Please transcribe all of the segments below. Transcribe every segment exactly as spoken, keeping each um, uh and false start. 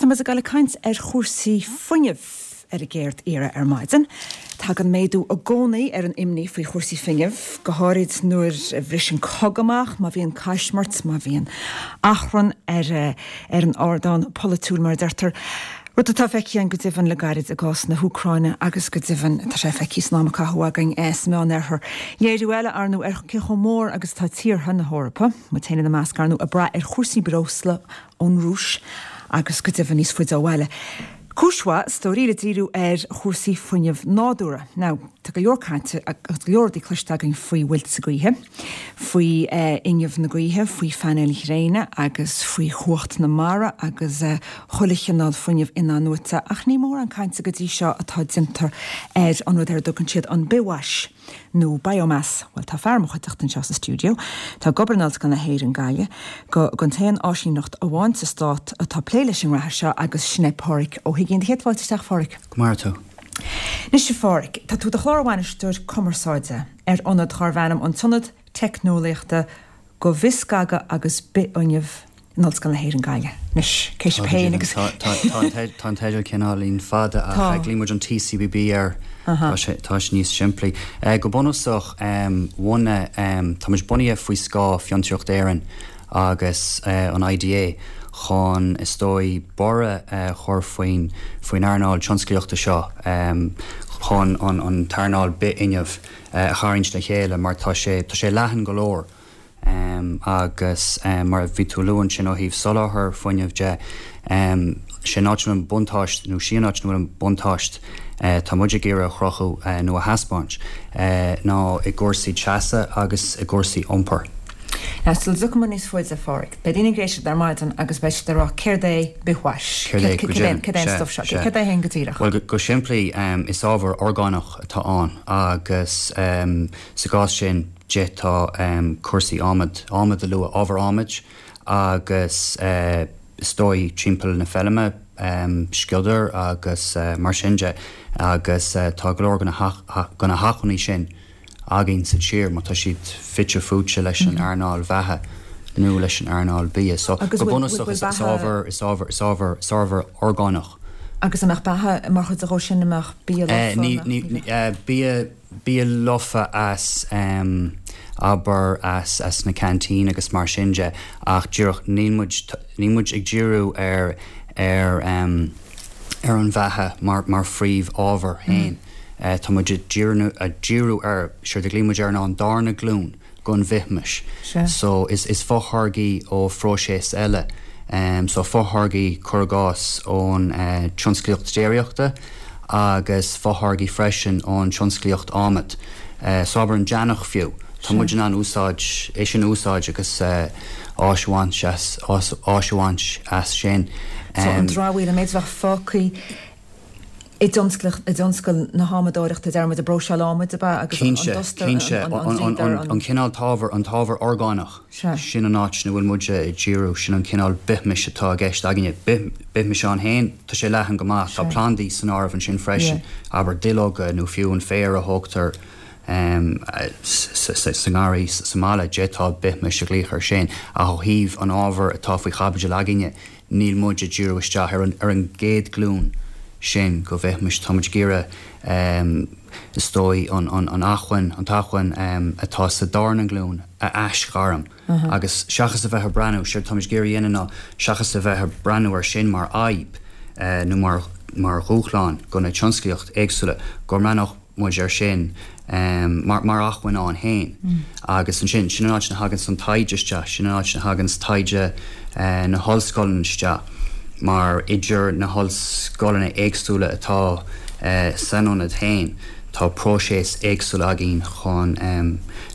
Tá muid ag dul ag caint ar chúrsaí fuinnimh ar an gcéad iarraidh ar maidin. Tagann méadú i gcónaí ar an imní faoi chúrsaí fuinnimh, go háirid nuair a bhriseann cogadh amach, má bhíonn caismirt, má bhíonn achrann ar ar an ardán polaitiúil mar a deirtear. Rud atá feicthe go deimhin le gairid i gcás na hÚcráine agus go deimhin tá sé feicthe san am a caitheadh againn sa Meánoirthear. Léiriú eile ar ndóigh ar cé chomh mór agus atá tíortha na hEorpa, muid féin ina measc ar ndóigh ag brath ar chúrsaí breosla ón Rúis agus go deimhin níos faide ó bhaile. Cúis mhaith is dóigh le díriú ar chúrsaí fuinnimh nádúrtha. Now, tá go leor cainte agus go leor rudaí cloiste againn faoi mhuilte gaoithe, faoi fhuinneamh na gaoithe, faoi phainéil ghréine agus faoi chumhacht na mara agus chuile chineál fuinnimh in-athnuaite, ach ní mórán cainte go dtí seo atá déanta ar an rud ar a dtugann siad an bithmhais. nó biomass. Bhuel tá fear i mo chuideachta anseo sa stiúideo. Tá ag obair in Ollscoil na hÉireann Gaillimh go gon t-aon áisíneacht amháin sa stát atá ag plé leis an ngraithe seo agus sin é Páraic Ó hUiginn. Céad fáilte isteach Pháraic. Go maire tú. Anois a Pháraic, tá tú i do chlár-bhainisteoir cumarsáide ar ionad darbh ainm an tIonad Teicneolaíochta do Bhithscagadh agus Bithfhuinneamh in Ollscoil na hÉireann Gaillimh. Anois, cé sibh féin agus. Tá an teideal cineáilín fada ach glaonn muid an TCBB air. Tá sé tá sé níos simplí. Go bunúsach bhunaigh tá muid bunaithe faoi scáth Fiontraíocht Éireann agus an IDA chun is dóigh borradh a chur faoin faoin earnáil tionsclaíochta seo chun an an t-earnáil bithfhuinnimh a tharraingt le chéile mar tá sé tá sé leathan go leor. Um, agus um, mar bhí tú ag lua ansin ó thaobh soláthar fuinnimh de um, sin áit an buntáiste nó sin áit an buntáiste uh, tá muid ag iarraidh a chruthú uh, nó a thaispeáint uh, ná i gcúrsaí teasa agus i gcúrsaí iompair. Now sula dtiocfaidh muid níos faide a Pháraic. Beidh daoine ag éisteacht ar maidin agus beidh siad ag rá céard é bithmhais? Céard é go deimhin? Céard é an stuif seo? Céard é féin go díreach? Well go simplí um, is ábhar orgánach atá ann agus um, sa gcás sin d'fhéadfá um, cúrsaí adhmad adhmad a lua ábhar adhmaid agus uh, is dóigh timpeall na feirme um, sciodar agus uh, mar sin de agus uh, tá go leor de na hacmhainní sin againn sa tír má tá siad fite fuaite leis an earnáil bheatha nó leis an earnáil bia. So go bunúsach is ábhar is ábhar is ábhar is ábhar orgánach. Agus an mbeadh beatha mar chuid de sin an mbeadh bia lofa? Bia bia lofa as um, abair as as na canteen agus mar sin de ach díreach níl muid níl muid ag díriú ar ar um, ar an bheatha mar mar phríomhábhar féin. Mm. Uh, tá muid ag díriú ar séard a ghlaonn muid air ná an darna glúin den bhithmhais. So is is fotháirgí ó phróiseas eile. Um, so fotháirgí cuir i gcás ón uh, tionsclaíocht déiríochta agus fotháirgí freisin ón tionsclaíocht adhmaid. Uh, so abair an deannach fiú. Tá muid in ann úsáid é sin úsáid agus uh, áis a bhaint as áis a bhaint as sin. So an dramhaíl an méid a bheadh fágtha i dtionscal na hadhmadóireachta deir muid ag próiseáil adhmaid ab ea agus an dusta an cineál t-ábhar an t-ábhar orgánach sin an áit ina bhfuil muid ag díriú sin an cineál bithmhais atá i gceist againne bithmhais ann féin tá sé leathan go maith tá plandaí san áireamh ansin freisin abair duilleoga nó fiú an féar a thógtar sa ngarraí sa mbaile d'fhéadfá bithmhais a ghlaoch air sin ach ó thaobh an ábhar atá faoi chaibidil againne níl muid ag díriú isteach ar an ar an gcéad ghlúin sin den bhithmhais tá muid ag iarraidh is dóigh an an an acmhainn an t-acmhainn atá sa darna glúin a aisghairm agus seachas a bheith ag breathnú séard tá muid ag iarraidh a dhéanamh ná seachas a bheith ag breathnú ar sin mar fhadhb nó mar mar dhúshlán do na tionsclaíocht éagsúla go mbreathnódh muid air sin mar mar acmhainn ann féin. Agus ansin, sin an áit ina thaganns an taighde isteach, sin an áit ina thaganns taighde na hollscoileanna isteach, mar idir na hollscoileanna éagsúla atá san ionad féin, tá próiseas éagsúla againn chun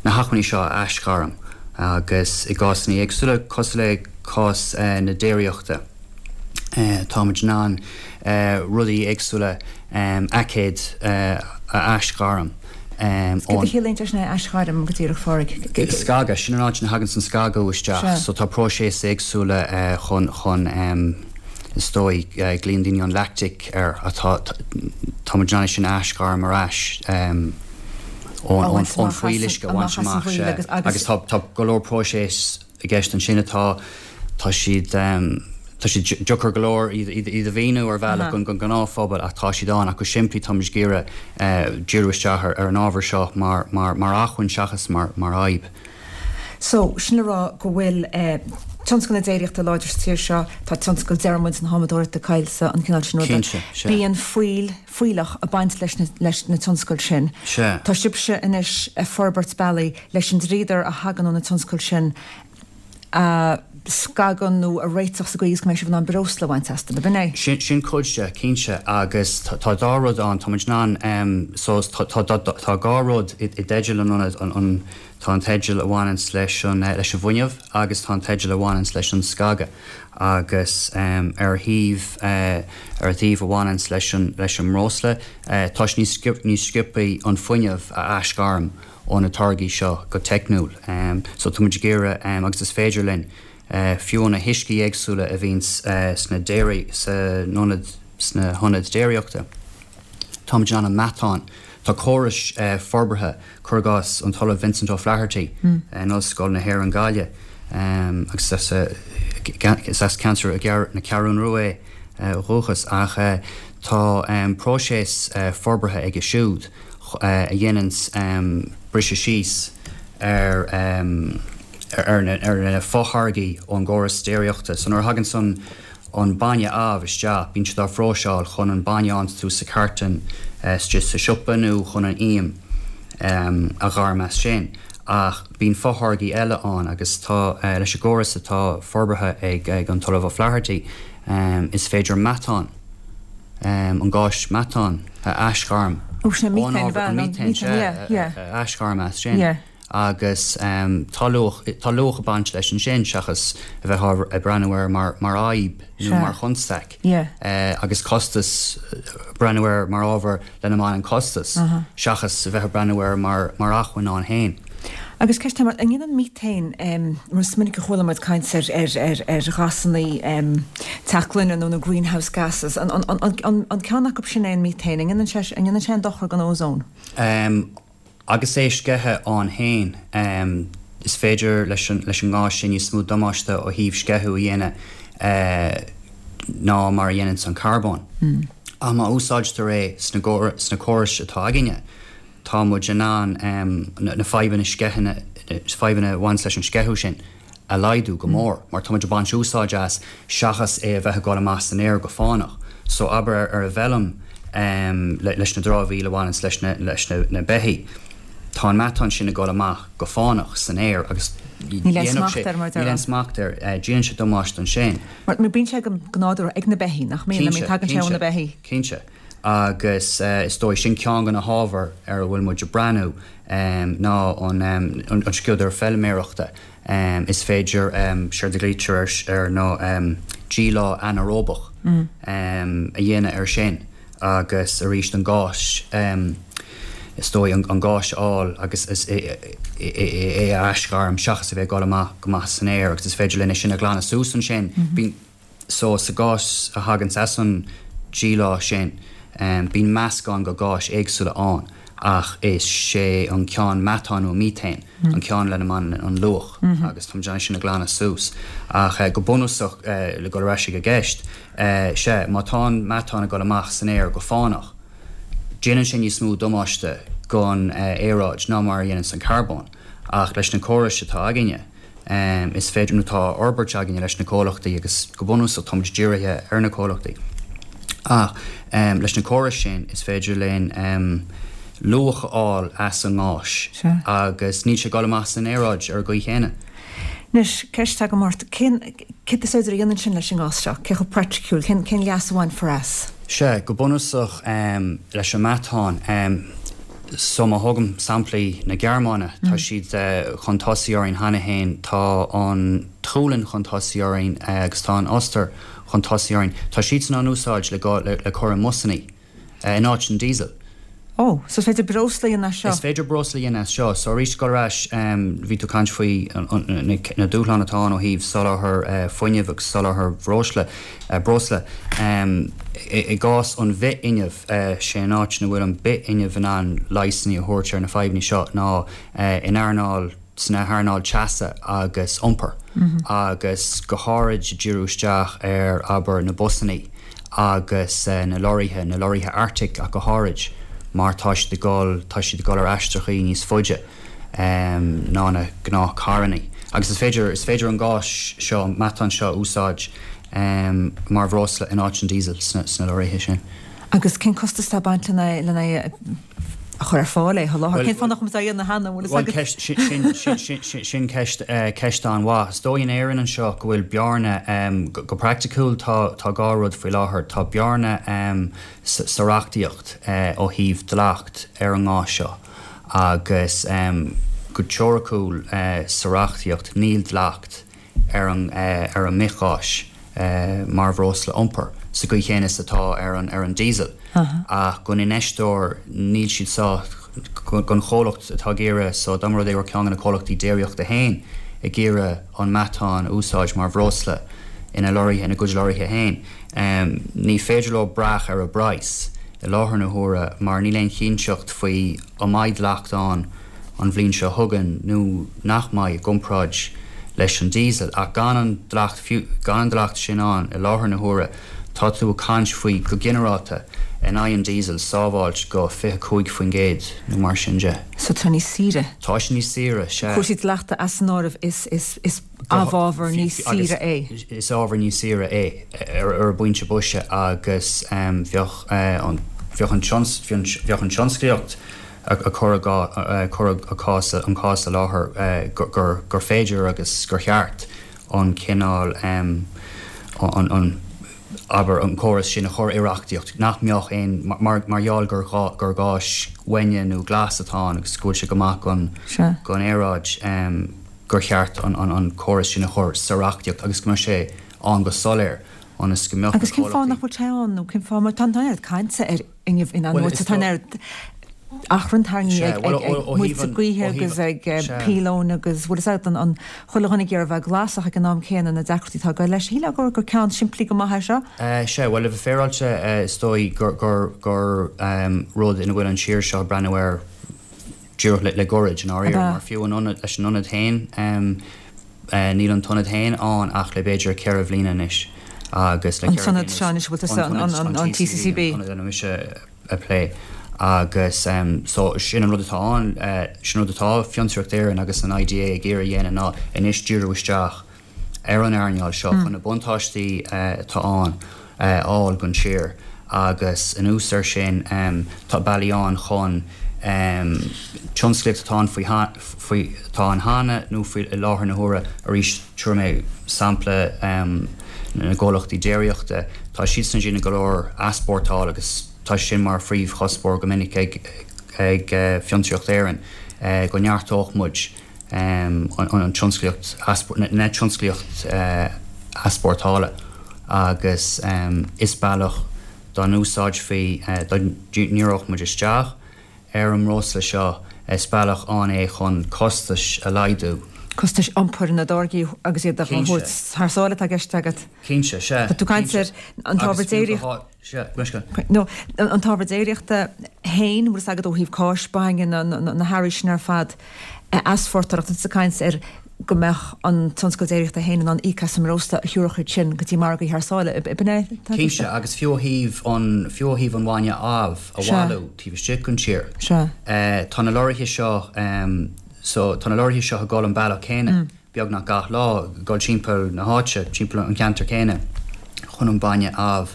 na hacmhainní seo a aisghairm agus i gcásanna éagsúla, cosúil le cás na déiríochta, táimid in ann rudaí éagsúla, aicéid a aisghairm ón. Céard a chiallaíonn sé sin é aisghairm go díreach, a Pháraic? Scagadh, sin an áit ina thaganns an scagadh isteach. So tá próiseas éagsúla chun, chun is dóigh, glaonn daoine an lactic air, atá, tá muid in ann é sin a aisghairm ar ais ón, ón fuíolluisce a bhaint amach, sea. Agus tá, tá go leor próiseas i gceist ansin atá, tá siad, Tá sé deacair go leor iad a mhíniú ar bhealach don ghnáthphobal ach tá siad ann ach go simplí tá muid ag iarraidh díriú isteach ar an ábhar seo mar mar mar acmhainn seachas mar mar fhadhb. So, sin le rá go bhfuil tionscal na déiríochta láidir sa tír seo, tá tionscal deir muid na halmadóireachta coillte an cineál sin ruda. Cinnte, sea. Bíonn fuíoll, fuílleach ag baint leis na leis na tionscail sin. Sea. Tá sibhse anois ag forbairt bealaí leis an dríodar a thagann ó na tionscail sin a scagadh nó a réiteach sa gcaoi is go mbeidh sibh in ann breosla a bhaint astu, ab in é? Sin sin cuid de, cinnte, agus tá tá dá rud ann, tá muid in ann so tá tá tá dhá rud i i dteideal an ionaid, an an tá an teideal a bhaineanns leis an leis an bhfuinneamh agus tá an teideal a bhaineanns leis an scagadh agus ar thaobh ar an taobh a bhaineanns leis an leis an mbreosla tá sé níos níos sciobthaí an fuinneamh a aisghairm ó na táirgí seo go teicniúil. So tá muid ag iarraidh agus is féidir linn fiú na huiscí éagsúla a bhíonns sna déirí sa ionad sna hionaid déiríochta. Tá muid in ann an meatán Tá córais forbartha, cuir i gcás an tOllamh Vincent O'Flaherty in Ollscoil na hÉireann Gaillimh agus is as ceantar na Ceathrún Rua é ó dhúchas ach tá próiseas forbartha aige siúd a dhéananns briseadh síos ar ar na fotháirgí ón gcóras déiríochta. So nuair a thaganns an an bainne amh isteach, bíonn siad á phróiseáil chun an bainne a fhaigheanns tú sa chartlann istigh sa siopa nó chun an ím a ghairm as sin. Ach bíonn fotháirgí eile ann agus tá, leis an gcóras atá forbartha ag ag an tOllamh O'Flaherty, is féidir meatán, an gás meatán, a aisghairm ón ábhar, an míthéin, sea, a aisghairm as sin. Agus tá luach, tá luach ag baint leis ansin seachas a bheith ag breathnú air mar, mar fhadhb nó mar chonstaic. Agus costas, breathnú air mar ábhar lena mbaineann costas seachas a bheith ag breathnú air mar, mar acmhainn ann féin. Agus ceist eile, an ndéanann míthéin, mar is minic a chuala muid caint ar, ar, ar, ar ghásanna teach gloine nó na greenhouse gases, an, an, an, an, an ceann acu sin é an míthéin, an ndéanann sé, an ndéanann sé aon dochar don ózón? Agus é sceithe ann féin, is féidir leis an leis an ngás sin níos mó damáiste ó thaobh sceitheadh a dhéanamh ná mar a dhéananns an carbón. Ach má úsáidtear é sna sna córais atá againne, tá muid in ann na fadhbanna sceithe, fadhbanna a bhaineanns leis an sceitheadh sin, a laghdú go mór mar tá muid ag baint úsáid as seachas é a bheith ag dul amach san aer go fánach. So abair ar an bhfeilm leis na dramhaíl a bhaineanns leis na leis na beithígh, tá an meatán sin ag dul amach go fánach san aer agus Níl aon smacht air mar a Níl aon smacht air. Déanann sé damáiste ansin. Mar bíonn sé go nádúrtha ag na beithígh, nach mbíonn? I mean tagann sé ó na beithígh. Cinnte. Agus is dóigh sin ceann de na hábhair ar a bhfuil muid ag breathnú ná an sciodar feilméarachta. Is féidir, séard a ghlaoitear air ná díleá anaeróbach a dhéanamh air sin agus arís an gás, is dóigh, an gás a fháil agus é a aisghairm seachas a bheith ag dul amach go maith san aer agus is féidir linn é sin a ghlanadh suas ansin. Bíonn. So, sa gás a thaganns as an díleá sin, bíonn meascán de gháis éagsúla ann, ach is é an ceann meatán nó míthéin an ceann lena mbaineann an luach, agus tá muid in ann é sin a ghlanadh suas. Ach go bunúsach, le dul ar ais ag an gceist, sea, má tá an meatán ag dul amach san aer go fánach, déanann sé níos mó damáiste don aeráid ná mar a dhéananns an carbón. Ach leis na córais atá againne, Is féidir, nó tá á fhorbairt againne leis na comhlachtaí agus go bunúsach tá muid dírithe ar na comhlachtaí ach leis na córais sin is féidir linn luach a fháil as an ngás agus níl sé ag dul amach san aeráid ar an gcaoi chéanna. Anois, ceist agam ort, cén, céard is féidir a dhéanamh ansin leis an ngás seo? Cé chomh praiticiúil, cén, cén leas a bhainfear as? Sea, go bunúsach leis an meatán, So má thógaim samplaí na Gearmáine, tá siad chun tosaigh orainn cheana féin, tá an tSualainn chun tosaigh orainn agus tá an Ostair chun tosaigh orainn. Tá siadsan á n-úsáid le le cur i mbusannaí in áit an diesel. Ó, so is féidir breosla a dhéanamh as seo? Is féidir breosla a dhéanamh as seo. So arís, dul ar ais, bhí tú ag caint faoi na dúshláin atá ann ó thaobh soláthar fuinnimh agus soláthar bhreosla, breosla. I gcás an bhithfhuinnimh, sé an áit ina bhfuil an bithfhuinneamh in ann leigheasanna a thabhairt ar na fadhbanna seo ná in earnáil sna hearnáil teasa agus iompair agus go háirid díriú isteach ar abair na busannaí agus na lorraithe, na lorraithe Arctic ach go háirid mar tá siad ag dul, tá siad ag dul ar aistreachaí níos faide ná na gnáthcharrannaí. Agus is féidir, is féidir an gás seo, an meatán seo a úsáid mar bhreosla in áit an diesel sna, sna lorraithe sin. Agus cén costas atá ag baint lena, lena a chur ar fáil é a sholáthar? Cén fáth nach bhfuil á dhéanamh cheana, an bhfuil fhios agat? Bhuel, ceist, sin, sin, sin, sin ceist, ceist an-mhaith. Is dóigh in Éirinn anseo go bhfuil bearna, go, go praiticiúil tá, tá dhá rud faoi láthair. Tá bearna sa, sa reachtaíocht ó thaobh dleacht ar an ngás seo agus go teoiriciúil sa reachtaíocht níl dleacht ar an, ar an mbithghás mar bhreosla iompair sa gcaoi chéanna is atá ar an, ar an diesel. Ach don infheisteoir níl siad sách, don chomhlacht atá ag iarraidh, so dá mba rud é go raibh ceann de na comhlachtaí déiríochta féin ag iarraidh an meatán a úsáid mar bhreosla ina lorraithe, ina gcuid lorraithe féin, ní féidir leo brath ar an bpraghas i láthair na huaire mar níl aon chinnteacht faoi an mbeidh dleacht ann an bhliain seo chugainn nó nach mbeidh i gcomparáid leis an diesel. Ach gan an dleacht, fiú gan an dleacht sin ann i láthair na huaire, tá tú ag caint faoi, go ginearálta, in aghaidh an diesel, sábháilt go fiche cúig faoin gcéad nó mar sin de. So tá níos saoire. Tá sé níos saoire, sea. Cúrsaí dleachta as an áireamh, is, is, is amhábhar níos saoire é. Is ábhar níos saoire é ar, ar an bpointe boise agus bheadh an, bheadh an bheadh an tionsclaíocht ag cur a cur a cás an cás i láthair gur gur féidir agus gur cheart an cineál an an abair an córas sin a chur i reachtaíocht nach mbeadh aon mar mar gheall gur gur gás uaine nó glas atá ann agus go bhfuil sé go maith don don aeráid gur cheart an an córas sin a chur sa reachtaíocht agus go mbeadh sé ann go soiléir ionas go mbeadh Agus cén fáth nach bhfuil sé ann nó cén fáth mar tá an oiread cainte ar fhuinneamh in-athnuaite tá an oiread achrann tarraingthe ag muilte gaoithe agus ag píolóin agus bhfuil fhios agat an an chuile dhuine ag iarraidh a bheith glas ach ag an am céanna na deacrachtaí atá ag goil leis. Shílfeá gur gur ceann simplí go maith é seo. Sea, bhuel, le bheith féaráilte, is dóigh gur gur gur rud ina bhfuil an tír seo ag breathnú air díreach le le gairid, i ndáiríre, mar fiú an ionad, leis an ionad féin, níl an t-ionad féin ann ach le b'fhéidir ceithre bhliana anois agus le An t-ionad seo anois, bhfuil tusa an an T C C B? An t-ionad ina mise ag plé agus so sin an rud atá ann, sin an rud atá Fiontraíocht Éireann agus an I D A ag iarraidh a dhéanamh ná anois díriú isteach ar an earnáil seo chun na buntáistí atá ann a fháil don tír agus anuas air sin tá bealaí ann chun tionsclaíocht atá ann faoi faoi atá ann cheana nó faoi i láthair na huaire. Arís, tabharfaidh mé sampla na gcomhlachtaí déiríochta, tá siadsan ag déanamh go leor easpórtáil agus tá sin mar phríomhchuspóir go minic ag ag Fiontraíocht Éireann go neartódh muid an tionsclaíocht na tionsclaíocht easpórtála agus is bealach dá n-úsáidfí dá ndíreodh muid isteach ar an mbreosla seo is bealach ann é chun costais a laghdú. Costais iompair na dtáirgí agus iad a thabhairt thar sáile atá i gceist agat. Cinnte, sea. Tá tú ag caint ar an t-ábhar déiríochta. Nó an t-ábhar déiríochta féin, bhfuil fhios agat ó thaobh cáis, bainne, na hearraí sin ar fad a easpórtáil ach tá tú ag caint ar go mbeadh an tionscal déiríochta féin in ann íoc as an mbreosla a thabharfadh iad sin go dtí margaí thar sáile. Ab in é atá i gceist? Cinnte, agus fiú ó thaobh an, fiú ó thaobh an bhainne amh a bhailiú taobh istigh den tír. Tá na lorraithe seo, so tá na lorraithe seo ag dul an bealach céanna beagnach gach lá, ag dul timpeall na háite, timpeall an cheantair chéanna chun an bainne amh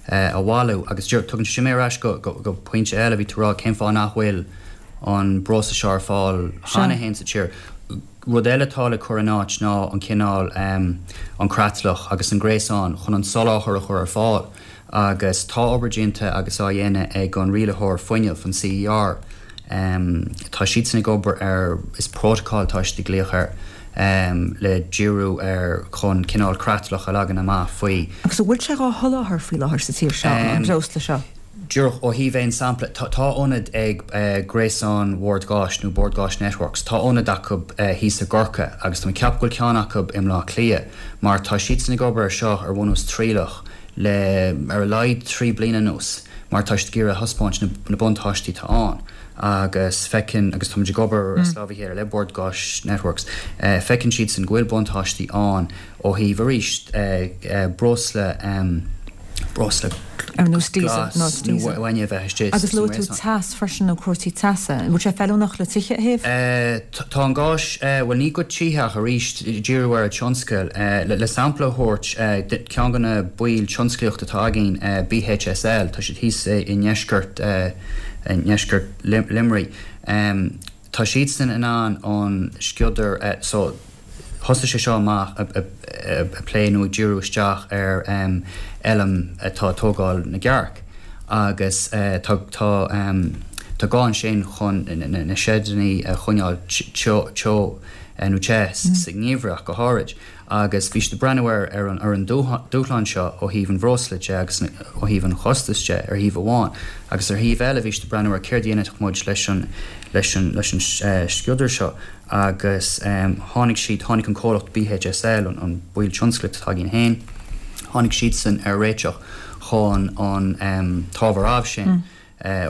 a bhailiú. Agus tugann sé sin mé ar ais go, go, go pointe eile, bhí tú ag rá cén fáth nach bhfuil an breosla seo ar fáil cheana féin sa tír. Rud eile atá le cur in áit ná an cineál, an creatlach agus an gréasán chun an soláthar a chur ar fáil agus tá obair déanta agus á dhéanamh ag an rialaitheoir fuinnimh, an C E R. Tá siadsan ag obair ar, is protocol atá siad ag glaoch air, le díriú ar chun cineál creatlach a leagan amach faoi. Agus an bhfuil sé á sholáthar faoi láthair sa tír seo, an breosla seo? Díreach ó thaobh aon sampla, tá ionad ag Gréasán Bhord Gáis nó Bord Gáis Networks, tá ionad acu thíos i gCorcaigh agus tá mé ag ceapadh go bhfuil ceann acu i mBleá Cliath mar tá siadsan ag obair ar seo ar bhunús trialach le ar a laghad trí bliana anuas mar tá siad ag iarraidh a thaispeáint na, na buntáistí atá ann agus feiceann agus táimid ag obair mm. lámh le Bord Gáis Networks uh, feiceann siad san go bhfuil buntáistí ann ó thaobh arís uh, uh, breosla um, breosla ar nós diesel nó diesel bhaine bheith istigh. Agus luaigh tú teas freisin nó cúrsaí teasa. Bhfuil sé feiliúnach le tithe a théamh? Tá an gás bhuel ní go tithe ach arís díriú ar an tionscal le sampla a thabhairt ceann de na baill tionsclaíochta atá againn BHSL tá siad thíos i ndeisceart i ndeisceart Luimnigh. Tá siadsan in ann an sciodar so thosaigh sé seo amach ag plé nó ag díriú isteach ar fheilm atá ag tógáil na gcearc agus tá tá tá gá ansin chun na seideanna a choinneáil teo teo nó te sa ngeimhreadh go háirid agus bhí siad ag breathnú ar ar an ar an dúshlán seo ó thaobh an bhreosla de agus ó thaobh an chostais de ar thaobh amháin agus ar thaobh eile bhí siad ag breathnú ar céard a dhéanfadh muid leis an leis an leis an sciodar seo agus tháinig siad, tháinig an comhlacht BHSL, an baill tionsclaíochta atá againn féin, tháinig siadsan ar réiteach chun an t-ábhar amh sin,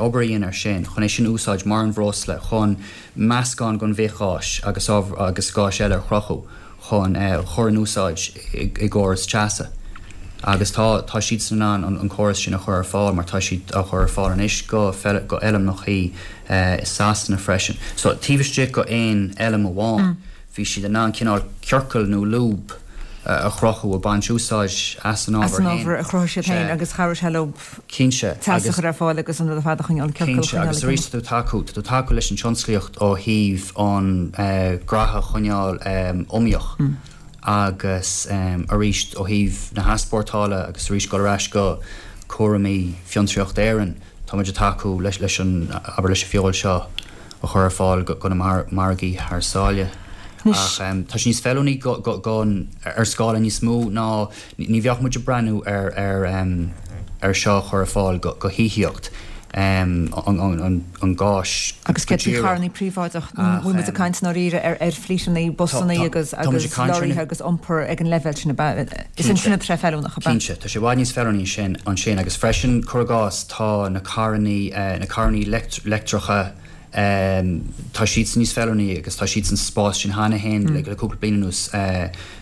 obair a dhéanamh air sin, chun é sin a úsáid mar an bhreosla chun meascán den bhithgháis agus agus gáis eile a chruthú chun a chur in úsáid i gcóras teasa. Agus tá tá siadsan in ann an córas sin a chur ar fáil mar tá siad á chur ar fáil anois go go fheilmeachaí i Sasana freisin. So taobh istigh go aon fheilm amháin bhí siad in ann cineál ciorcal nó lúb a chruthú ag baint úsáid as an ábhar As an ábhar a chruthaigh siad féin agus chabhraigh sé leo Cinnte teas a chur ar fáil agus an rud ar fad a choinneáil, ciorcal a Cinnte agus arís tá tú tacú tá tú tacú leis an tionsclaíocht ó thaobh an graithe a choinneáil iomaíoch. Agus arís ó thaobh na heaspórtála agus arís dul ar ais go cúraimí Fiontraíocht Éireann, tá muid ag tacú leis leis an, abair leis an bhfeoil seo a chur ar fáil go na margaí thar sáile. Ach tá sé níos feiliúnaí go go go ar scála níos mó ná ní bheadh muid ag breathnú ar ar ar seo a chur ar fáil go go thithíocht. an gáis Agus céard faoi charrannaí príobháideach? Bhfuil muid ag caint i ndáiríre ar ar flíteanna, busanna agus agus lorraithe agus iompar ag an leibhéal sin ab ea? Is ansin atá sé feiliúnach, ab ea? Cinnte, tá sé i bhfad níos feiliúnaí sin ansin agus freisin, cuir i gcás, tá na carrannaí na carrannaí leictreacha, Tá siadsan níos feiliúnaí agus tá siad san spás sin cheana féin le cúpla bliain anuas.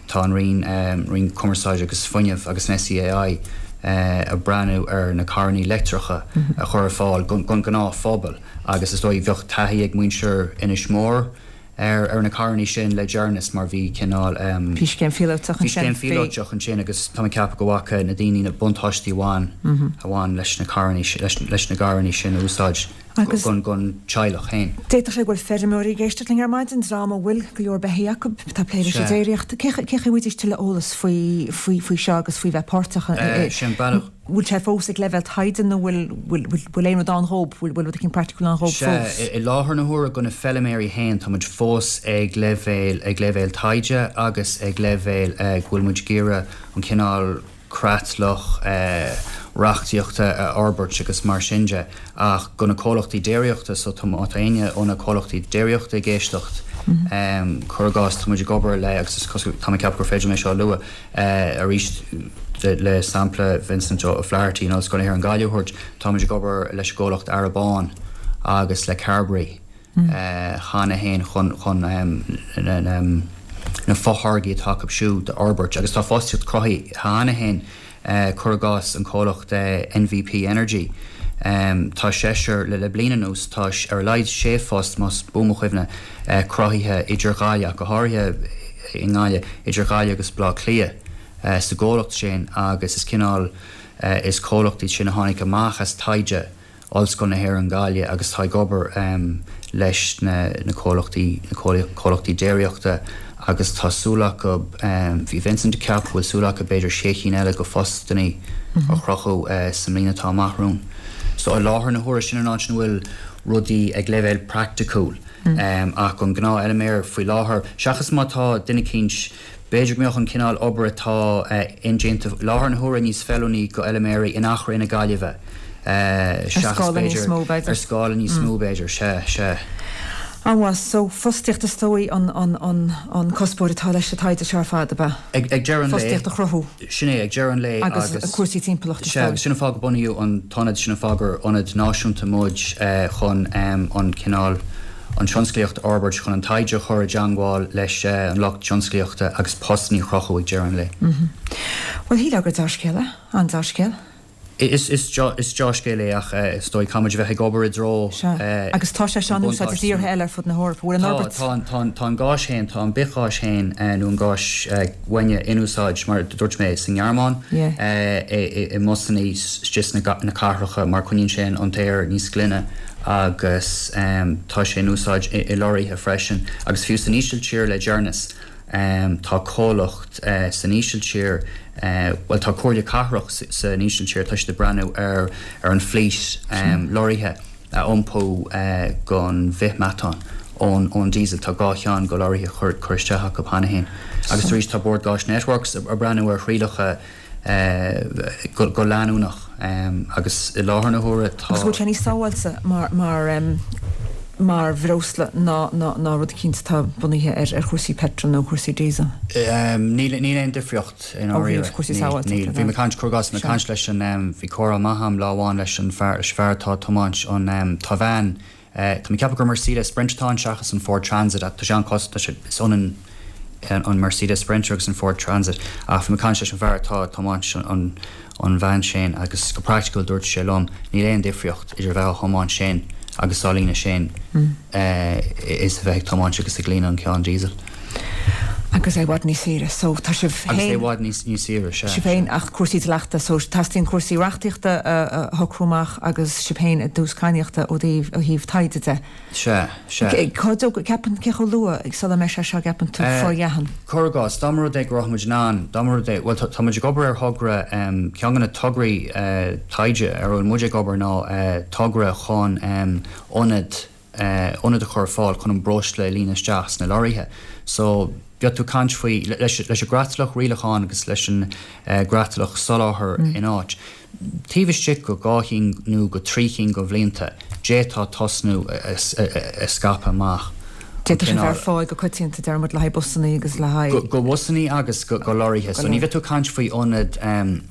Tá an Roinn, Roinn Cumarsáide agus Fuinnimh agus an SEAI ag breathnú ar na carrannaí leictreacha a chur ar fáil don ghnáthphobal agus is dóigh bheadh taithí ag muintir Inis Mór ar ar na carrannaí sin le deireanas mar bhí cineál Bhí scéim phíolótach ansin. Bhí scéim phíolótach ansin agus tá mé ag ceapadh go bhfaca na daoine na buntáistí a bhain a bhain leis na carrannaí leis na gcarrannaí sin a úsáid. Agus don teaghlach féin. D'fhéadfadh sé go bhfuil feirmeoirí ag éisteacht linn ar maidin, dream a bhfuil go leor beithígh acu, atá ag plé leis an déiríocht. Cé chaoi a bhfaighidís tuilleadh eolas faoi faoi faoi seo agus faoi bheith páirteach i Sé an bealach. Bhfuil sé fós ag leibhéal taighde nó bhfuil bhfuil bhfuil aon rud ann dhób, bhfuil bhfuil rud éicint praiticiúil ann dhób Sea, fós? i láthair na huaire do na feilméaraí féin tá muid fós ag leibhéal ag leibhéal taighde agus ag leibhéal go bhfuil muid ag iarraidh an cineál creatlach reachtaíochta a fhorbairt agus mar sin de ach do na comhlachtaí déiríochta so tá má tá éinne ó na comhlachtaí déiríochta ag éisteacht cuir i gcás tá muid ag obair le agus is cosúil tá mé ag ceapadh gur féidir liom é seo a lua arís le sampla Vincent O'Flaherty in Ollscoil na hÉireann Gaillimh a thabhairt tá muid ag obair leis an gcomhlacht Arrabawn agus le Carbery cheana féin chun chun na fotháirgí atá acu siúd a fhorbairt agus tá fostaíocht cruthaithe cheana féin, cuir i gcás an comhlacht MVP Energy. Tá seisear, le bliain anuas, tá ar a laghad sé phost, más buan mo chuimhne, cruthaithe idir Ghaillimh, ach go háirithe i nGaillimh, idir Ghaillimh agus Baile Átha Cliath sa gcomhlacht sin agus is cineál, is comhlacht iad sin a tháinig amach as taighde Ollscoil na hÉireann Gaillimh agus tá ag obair leis na comhlachtaí na comhlachtaí déiríochta agus tá súil acu, bhí Vincent ag ceapadh go bhfuil súil acu b'fhéidir sé cinn eile de phostannaí a chruthú sa mbliain atá amach romhainn. So i láthair na huaire sin an áit ina bhfuil rudaí ag leibhéal praiticiúil ach an gnáthfheilméar faoi láthair, seachas má tá duine eicínt, B'fhéidir go mbeadh an cineál obair atá indéanta i láthair na huaire níos feiliúnaí do fheilméaraí in Achadh na Gaillimhe Ar seachas scála níos b'fhéidir mó, b'fhéidir. ar scála níos mó b'fhéidir, sea, sea. An-mhaith, so fostaíocht is dóigh an an an an cuspóir atá leis an taighde seo ar fad, ab ea? Ag ag deireadh an lae. Fostaíocht a chruthú. Sin é, ag deireadh an lae agus. Agus cúrsaí timpeallachta is dóigh. Sea, agus sin an fáth go bunaíodh an t-ionad, sin an fáth gur ionad náisiúnta muid chun an cineál, an tionsclaíocht a fhorbairt, chun an taighde a chur i dteangmháil leis an lucht tionsclaíochta agus postanna a chruthú ag deireadh an lae. Bhuel, shílfeá gur dea-scéal é, an-dea-scéal. Is dea-scéal é ach is dóigh caithfimid a bheith ag obair i dtreo Sea. Agus tá sé seo in úsáid i dtíortha eile ar fud na hEorpa. Bhfuil an fhorbairt. Tá, tá, tá an gás féin, tá an bithghás féin nó an gás uaine in úsáid, mar a dúirt mé, sa nGearmáin, i mbusanna istigh sna cathracha mar coinníonn sé an t-aer níos glaine agus tá sé in úsáid i lorraithe freisin agus fiú san Ísiltír le deireanas. Tá comhlacht san Ísiltír, bhuel tá comhairle cathrach san Ísiltír, tá siad ag breathnú ar ar an flít lorraithe a iompú gon bhithmheatán ón ón diesel. Tá dhá cheann go lorraithe curtha isteach acu cheana féin. Agus arís tá Bord Gáis Networks ag breathnú ar thrialacha go leanúnach agus i láthair na huaire tá. Agus bhfuil sé níos sábháilte mar mar mar bhreosla ná ná rud eicínt atá bunaithe ar ar chúrsaí peitril nó cúrsaí diesel? Níl níl aon difríocht i Ó ndáiríre. thaobh cúrsaí Níl sábháilteachta níl. de. Bhí mé ag caint, cuir i gcás, bhí mé ag Sea. caint leis an bhí comhrá maith a'm lá amháin leis an fear leis an fear atá ag tiomáint an tá veain Tá mé ag ceapadh gur Mercedes Sprinter atá ann seachas an Ford Transit ach tá sé an-chosúil, tá sé, is ionann an Mercedes Sprinter agus an Ford Transit ach bhí mé ag caint leis an bhfear atá ag tiomáint an an veain sin agus go praiticiúil dúirt sé liom níl aon difríocht idir bheith á thiomáint sin agus á líonadh sin is a bheith ag tiomáint agus ag líonadh an ceann diesel. Agus é i bhfad níos saoire. So tá sibh Agus é i féin. bhfad níos níos saoire, sea, Sibh sea. féin ach cúrsaí dleachta, so teastaíonn cúrsaí reachtaíochta a a shocrú amach agus sibh féin i dtús cadhnaíochta ó thaobh ó thaobh taighde de. Sea, sea. Cá dó ceapann cé chomh luath sula mbeidh sé seo gceapann tú forleathan? Cuir i gcás, dá mba rud é go raibh muid in ann, dá mba rud é, bhuel tá tá muid ag obair ar thogra, ceann de na tograí taighde ar a bhfuil muid ag obair ná togra chun ionad, ionad a chur ar fáil chun an breosla a líonadh isteach sna lorraithe. So, bheadh tú ag caint faoi, leis an gcreatlach rialacháin agus leis an gcreatlach soláthair in áit, taobh istigh go dhá chinn nó go trí chinn go bhlianta, d'fhéadfá tosnú ag scaipeadh amach an D'fhéadfadh sé bheith ar cineál. fáil go coitianta, deir muid, le haghaidh busannaí agus le haghaidh. Go bhusannaí agus go lorraithe. So ní bheadh tú ag caint faoi ionad,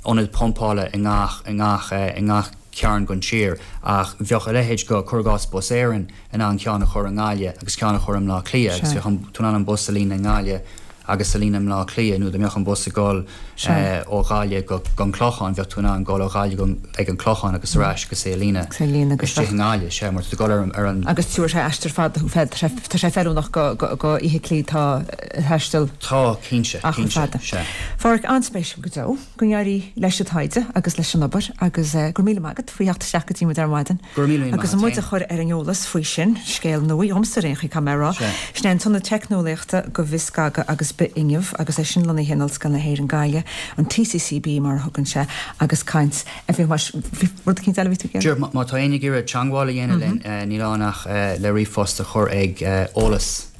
ionad pumpála i ngach, i ngach, i ngach cearn gon tír ach bheadh a leithéid go, cuir i gcás, Bus Éireann in ann ceann a chur i nGaillimh agus ceann a chur i mBleá Cliath agus Sea. bheadh an, tú in ann an bus a líonadh i nGaillimh agus a líonadh i mBleá Cliath nó dá mbeadh an bus ag dul Sea. ó Ghaillimh go, gon Clochán bheadh tú in ann dul ó Ghaillimh go, ag an Clochán agus ar ais agus é a líonadh Agus é a líonadh agus istigh bheadh. i nGaillimh, sea, mar tá tú ag dul ar an, ar an. Agus tabharfaidh sé aistear fada thú, tá sé, tá sé feiliúnach go, go, go fheithiclí atá ag taisteal Tá, cinnte, achar cinnte, fada. sea. A Pháraic, an-spéisiúil go deo. Go n-éirí leis an taighde agus leis an obair agus go raibh míle maith agat faoi theacht isteach go dtí muid ar maidin Go raibh míle míle maith agus agat muid a féin. chur ar an eolas faoi sin, scéal nua dhomsa ar aon chaoi, caithfidh mé a rá. Sea. Sin é an tIonad Teicneolaíochta go Bhithscagadh agus Bithfhuinneamh agus é sin lonnaithe in Ollscoil na hÉireann Gaillimh, an TCCB mar a thugann sé, agus caint a bhí mar bhí rud eicínt eile a bhí tú ag iarraidh? Sure, má tá éinne ag iarraidh teangmháil a dhéanamh linn, níl ann ach le ríomhphost a chur ag eolas.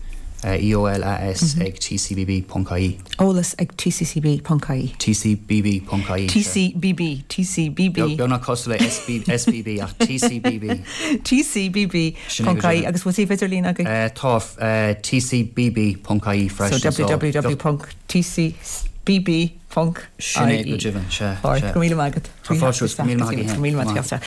EOLAS ag tcbb ponc ie. Eolas ag tccb ponc ie. tcbb ponc ie. TCBB, TCBB. Beagnach cosúil le SBB ach tcbb. TCBB ponc ie agus bhfuil suíomh idirlín agaibh? Tá, tcbb ponc ie freisin. So www ponc tcbb ponc ie. Sin é go deimhin, sea. Go raibh míle maith agat. Tá fáilte romhat, go raibh míle maith agat. Go raibh míle maith agat.